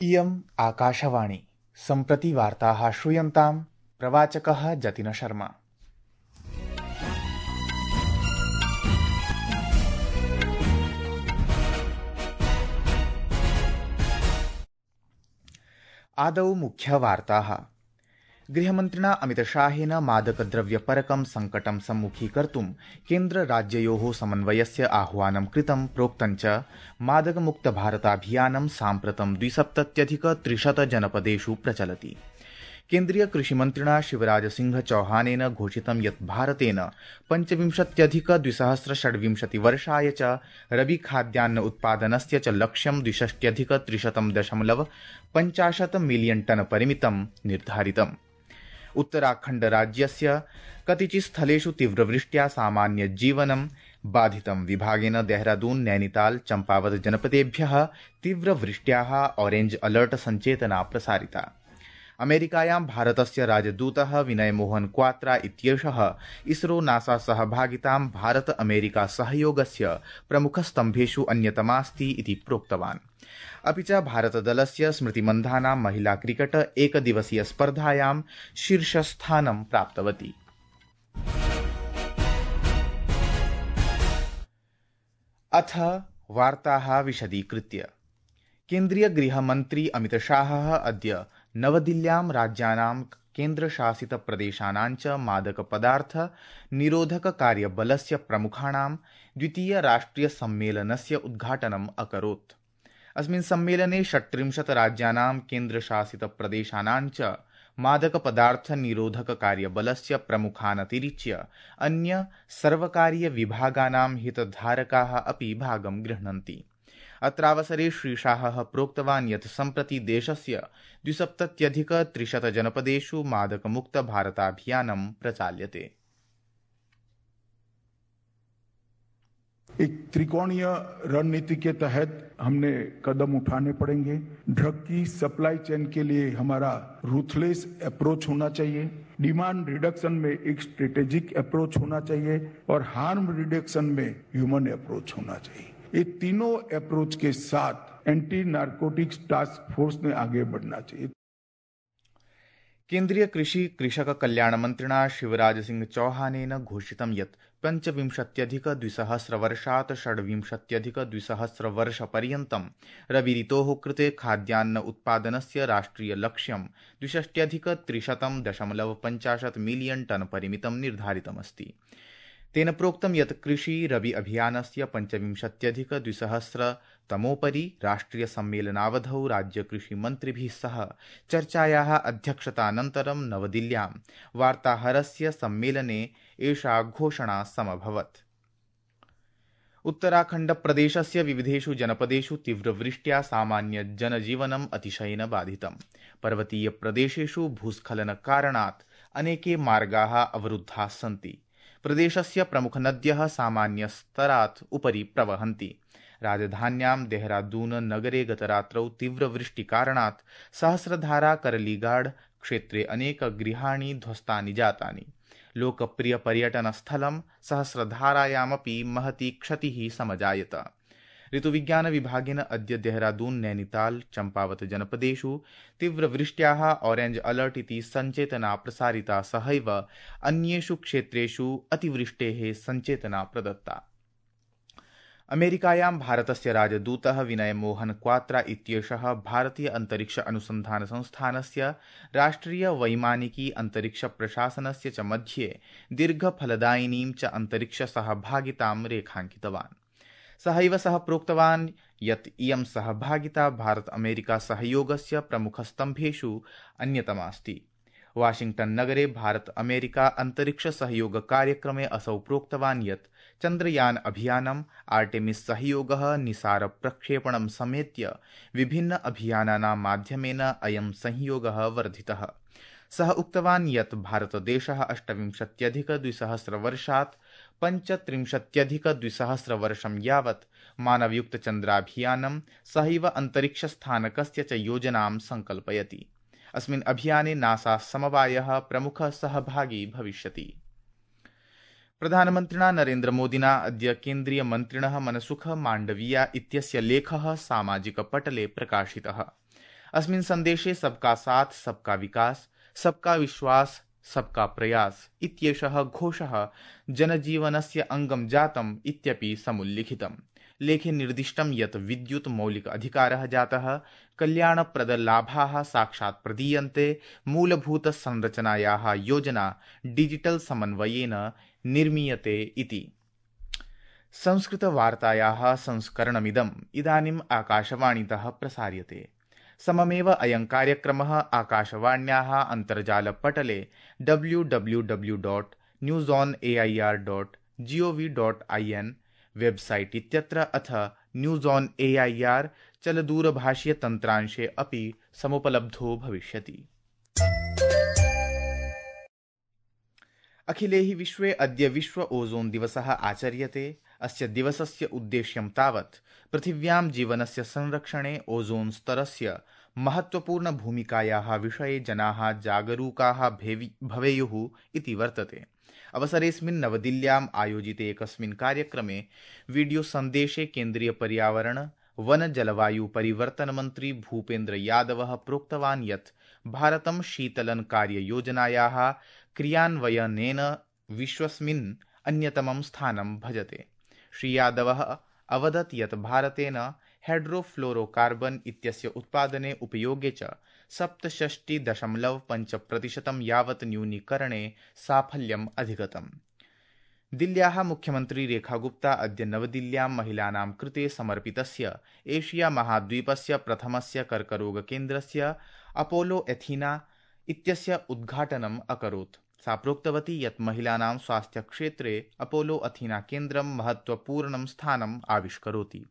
इयम् आकाशवाणी सम्प्रति वार्ताः श्रूयन्ताम् प्रवाचकः जतिन शर्मा। आदौ मुख्यवार्ताः। गृहमन्त्रिणा अमितशाहेन मादकद्रव्यपरकं सङ्कटं सम्मुखीकर्तुं केन्द्रराज्ययोः समन्वयस्य आह्वानं कृतं। प्रोक्तञ्च मादकमुक्तभारताभियानं साम्प्रतं 270,300 जनपदेषु प्रचलति। केन्द्रीय कृषिमन्त्रिणा शिवराजसिंह चौहानेन घोषितं यत् भारतेन 25,226 वर्षाय च रबी खाद्यान्न उत्पादनस्य च लक्ष्यं 62,300.50 मिलियन टन परिमितं निर्धारितम्। उत्तराखण्ड राज्यस्य कतिचित् स्थलेषु तीव्रवृष्ट्या सामान्यजीवनं बाधितं। विभागेन देहरादून, नैनीताल, चम्पावत जनपदेभ्यः तीव्रवृष्ट्याः ऑरेंज अलर्ट सञ्चेतना प्रसारिता। अमेरिकायां भारतस्य राजदूतः विनय मोहन क्वात्रा इत्येषः इसरो नासा सहभागितां भारत अमेरिका सहयोगस्य प्रमुखस्तम्भेषु अन्यतमास्ति इति प्रोक्तवान्। अपि च भारतदलस्य स्मृतिमन्धाना महिला क्रिकेट एकदिवसीय स्पर्धायां शीर्षस्थानं प्राप्तवती। अथ वार्ताः विशदीकृत्य। केन्द्रीय गृहमन्त्री अमितशाहः अद्य नवदिल्ल्यां राज्यानां केन्द्रशासितप्रदेशानां च मादकपदार्थ निरोधक कार्यबलस्य प्रमुखाणां द्वितीय राष्ट्रिय सम्मेलनस्य उद्घाटनम् अकरोत्। अस्मिन् सम्मेलने 36 राज्यानां केन्द्रशासितप्रदेशानां च मादकपदार्थ निरोधक कार्यबलस्य प्रमुखानतिरिच्य अन्य सर्वकारीय विभागानां हितधारकाः अपि भागं गृह्णन्ति। अत्रावसरे श्रीशाहः प्रोक्तवान् यत् सम्प्रति देशस्य 270,300 जनपदेषु मादकमुक्त भारताभियानं प्रचाल्यते। एक त्रिकोणीय रणनीति के तहत हमने कदम उठाने पड़ेंगे। ड्रग की सप्लाई चेन के लिए हमारा रूथलेस अप्रोच होना चाहिए। डिमांड रिडक्शन में एक स्ट्रेटेजिक अप्रोच होना चाहिए और हार्म रिडक्शन में ह्यूमन अप्रोच होना चाहिए। ये तीनों अप्रोच के साथ एंटी नार्कोटिक्स टास्क फोर्स ने आगे बढ़ना चाहिए। केन्द्रीय कृषि कृषक कल्याण मन्त्रिणा शिवराज सिंह चौहानेन घोषितं यत् 25,200 वर्षात् 26,200 वर्षपर्यन्तं रवि ऋतोः कृते खाद्यान्न उत्पादनस्य राष्ट्रिय लक्ष्यं 62,300.50 मिलियन टन परिमितं निर्धारितमस्ति। तेन प्रोक्तं यत् कृषि रवि अभियानस्य 25,200 तमोपरि राष्ट्रिय सम्मेलनावधौ राज्यकृषिमन्त्रिभिः सह चर्चायाः अध्यक्षतानन्तरं नवदिल्ल्यां वार्ताहरस्य सम्मेलने एषा घोषणा समभवत्। उत्तराखण्ड प्रदेशस्य विविधेषु जनपदेषु तीव्रवृष्ट्या सामान्य जनजीवनम् अतिशयेन बाधितम्। पर्वतीय प्रदेशेषु भूस्खलनकारणात् अनेके मार्गाः अवरुद्धाः सन्ति। प्रदेशस्य प्रमुखनद्यः सामान्यस्तरात् उपरि प्रवहन्ति। राजधान्यां देहरादून नगरे गतरात्रौ तीव्रवृष्टिकारणात् सहस्रधारा करलीगाड क्षेत्रे अनेक गृहाणि ध्वस्तानि जातानि। लोकप्रियपर्यटनस्थलं सहस्रधारायामपि महती क्षतिः समजायत। ऋतुविज्ञान विभागेन अद्य देहरादून, नैनीताल, चम्पावत जनपदेषु तीव्रवृष्ट्याः ऑरेंज अलर्ट इति सञ्चेतना प्रसारिता। सहैव अन्येषु क्षेत्रेषु अतिवृष्टेः सञ्चेतना प्रदत्ता। अमेरिकायां भारतस्य राजदूतः विनय मोहन क्वात्रा इत्येषः भारतीय अंतरिक्ष अनुसंधान संस्थानस्य राष्ट्रिय वैमानिकी अंतरिक्ष प्रशासनस्य च मध्ये दीर्घफलदायिनीं च अंतरिक्ष सहभागितां रेखाङ्कितवान्। सहैव सः प्रोक्तवान् यत् इयं सहभागिता भारत अमेरिका सहयोगस्य प्रमुखस्तम्भेषु अन्यतमास्ति। वाशिंगटन नगरे भारत अमेरिका अंतरिक्ष सहयोग कार्यक्रमे असौ प्रोक्तवान् यत् चन्द्रयान अभियानम्, आर्टेमिस सहयोगः, निसार प्रक्षेपणं समेत्य विभिन्न अभियानानां माध्यमेन अयं सहयोगः वर्धितः। सः उक्तवान् यत् भारतदेशः 28,200 वर्षात् 35,200 वर्षं यावत् मानवयुक्तचन्द्राभियानं सहैव अन्तरिक्षस्थानकस्य च योजनां संकल्पयति। अस्मिन् अभियाने नासा समवायः प्रमुखः सहभागी भविष्यति। प्रधानमन्त्रिणा नरेन्द्रमोदिना अद्य केन्द्रीयमन्त्रिणः मनसुख माण्डविया इत्यस्य लेखः सामाजिकपटले प्रकाशितः। अस्मिन् सन्देशे सबका साथ सबका विकास, सबका विश्वास, सबका प्रयास इत्येषः घोषः जनजीवनस्य अङ्गं जातम् इत्यपि समुल्लिखितम्। लेखे निर्दिष्टं यत् विद्युत् मौलिक अधिकारः जातः, कल्याणप्रदलाभाः साक्षात् प्रदीयन्ते, मूलभूतसंरचनायाः योजना डिजिटल समन्वयेन निर्मीयते इति। संस्कृतवार्तायाः संस्करणमिदम् इदानीम् आकाशवाणीतः प्रसार्यते। सममेव अयं कार्यक्रमः आकाशवाण्याः अन्तर्जालपटले www.newsonair.gov.in वेबसाइट इत्यत्र अथ न्यूज़ ऑन एआईआर चलदूरभाषीय तन्त्रांशे अपि समुपलब्धो भविष्यति। अखिले हि विश्वे अद्य विश्व ओजोन दिवसः आचर्यते। अस्य दिवसस्य उद्देश्यं तावत् पृथिव्यां जीवनस्य संरक्षणे ओजोन स्तरस्य महत्वपूर्ण भूमिकायाः विषये जनाः जागरूकाः भवेयुः इति वर्तते। अवसरेऽस्मिन् नवदिल्ल्याम् आयोजिते एकस्मिन् कार्यक्रमे वीडियो सन्देशे केन्द्रीय पर्यावरण वन जलवायु परिवर्तन मन्त्री भूपेन्द्र यादवः प्रोक्तवान् यत् भारतं शीतलन कार्ययोजनायाः क्रियान्वयनेन विश्वस्मिन् अन्यतमं स्थानं भजते। श्री यादवः अवदत् यत् भारतेन हाइड्रोफ्लोरोकार्बन इत्यस्य उत्पादने उपयोगे च 67.5% यावत् न्यूनीकरणे साफल्यम् अधिगतम्। दिल्ल्याः मुख्यमन्त्री रेखा गुप्ता अद्य नवदिल्ल्यां महिलानां कृते समर्पितस्य एशिया महाद्वीपस्य प्रथमस्य कर्करोगकेन्द्रस्य अपोलो एथीना इत्यस्य उद्घाटनम् अकरोत्। सा प्रोक्तवती यत् महिलानां स्वास्थ्यक्षेत्रे अपोलो अथीना केन्द्रं महत्वपूर्णं स्थानम् आविष्करोति।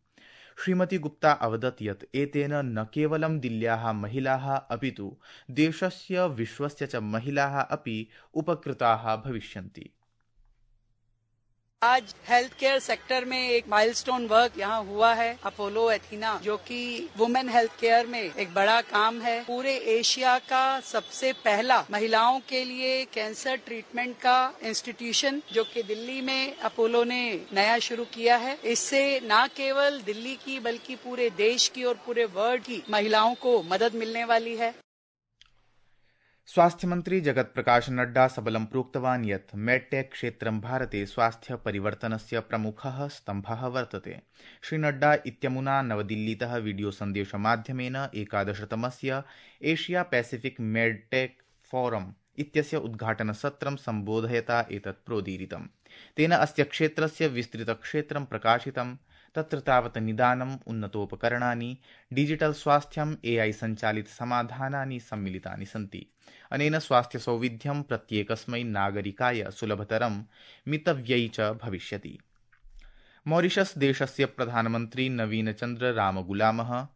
श्रीमती गुप्ता अवदत् यत् एतेन न केवलं दिल्ल्याः महिलाः अपितु देशस्य विश्वस्य च महिलाः अपि उपकृताः भविष्यन्ति। आज हेल्थ केयर सेक्टर में एक माइलस्टोन वर्क यहाँ हुआ है, अपोलो एथीना, जो कि वुमेन हेल्थ केयर में एक बड़ा काम है। पूरे एशिया का सबसे पहला महिलाओं के लिए कैंसर ट्रीटमेंट का इंस्टीट्यूशन जो कि दिल्ली में अपोलो ने नया शुरू किया है। इससे न केवल दिल्ली की बल्कि पूरे देश की और पूरे वर्ल्ड की महिलाओं को मदद मिलने वाली है। स्वास्थ्य मंत्री जगत प्रकाश नड्डा सबलं प्रोक्तवान् यत् मेडटेक क्षेत्रं भारते स्वास्थ्य परिवर्तनस्य प्रमुखः स्तम्भः वर्तते। श्री नड्डा इत्यमुना नवदिल्लीतः वीडियो सन्देशमाध्यमेन 11तमस्य एशिया पैसिफिक मेडटेक फोरम इत्यस्य उद्घाटनसत्रं सम्बोधयता एतत् प्रोदीरितम्। तेन अस्य क्षेत्रस्य विस्तृतक्षेत्रं प्रकाशितम्। तत्र तावत् निदानम्, उन्नतोपकरणानि, डिजिटल स्वास्थ्यम्, एआई सञ्चालित समाधानानि सम्मिलितानि सन्ति। अनेन स्वास्थ्य सौविध्यं प्रत्येकस्मै नागरिकाय सुलभतरं, मितव्ययी च भविष्यति। मॉरिशस देशस्य प्रधानमन्त्री नवीन चन्द्र रामगुलामः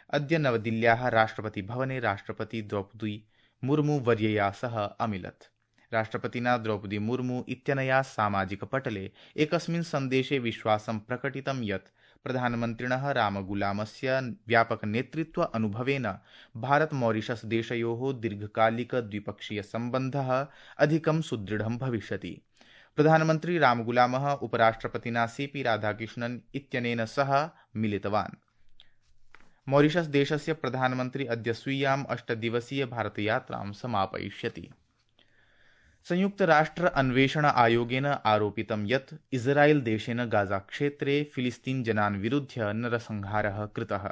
अद्य नवदिल्ल्याः राष्ट्रपति भवने राष्ट्रपति द्रौपदी मुर्मू वर्यया सह अमिलत्। राष्ट्रपतिना द्रौपदी मुर्मू इत्यनया सामाजिक पटले एकस्मिन् सन्देशे विश्वासं प्रकटितं यत् प्रधानमन्त्रिणः रामगुलामस्य व्यापक नेतृत्व अनुभवेन भारत मॉरिशस देशयोः दीर्घकालिक द्विपक्षीय सम्बन्धः अधिकं सुदृढं भविष्यति। प्रधानमन्त्री रामगुलामः उपराष्ट्रपतिना सीपी राधाकृष्णन् इत्यनेन सह मिलितवान्। मॉरिशस देशस्य प्रधानमन्त्री अद्य स्वीयां 8 दिवसीय भारतयात्रां समापयिष्यति। संयुक्त राष्ट्र अन्वेषण आयोगेन आरोपितं यत् इस्राएल देशेन गाजा क्षेत्रे फिलिस्तीन जनान् विरुध्य नरसंहारः कृतः।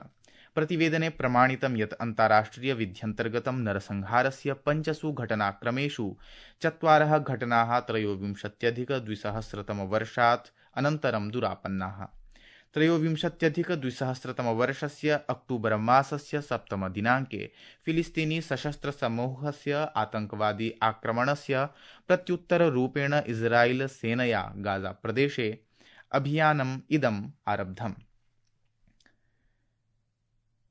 प्रतिवेदने प्रमाणितं यत् अन्ताराष्ट्रिय विध्यन्तर्गतं नरसंहारस्य 5 घटनाक्रमेषु 4 घटनाः 23-2000 वर्षात् अनन्तरं दुरापन्नाः। 23-2000 वर्षस्य अक्टूबर मासस्य 7 दिनाङ्के फिलिस्तीनी सशस्त्र समूहस्य आतङ्कवादी आक्रमणस्य प्रत्युत्तररूपेण इस्राएल सेनया गाजा प्रदेशे अभियानम् इदम् आरब्धम्।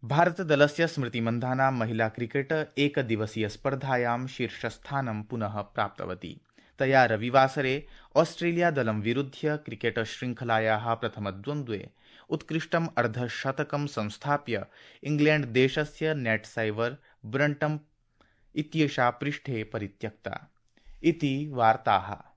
भारतदलस्य स्मृति मन्धाना महिला क्रिकेट एकदिवसीय स्पर्धायां शीर्षस्थानं पुनः प्राप्तवती। तया रविवासरे ऑस्ट्रेलिया दलं विरुध्य क्रिकेट श्रृंखलायाः प्रथमद्वन्द्वे उत्कृष्टम् अर्धशतकं संस्थाप्य इंग्लैंड देशस्य नेट साइवर ब्रंटम इत्येषा पृष्ठे परित्यक्ता। इति वार्ताः।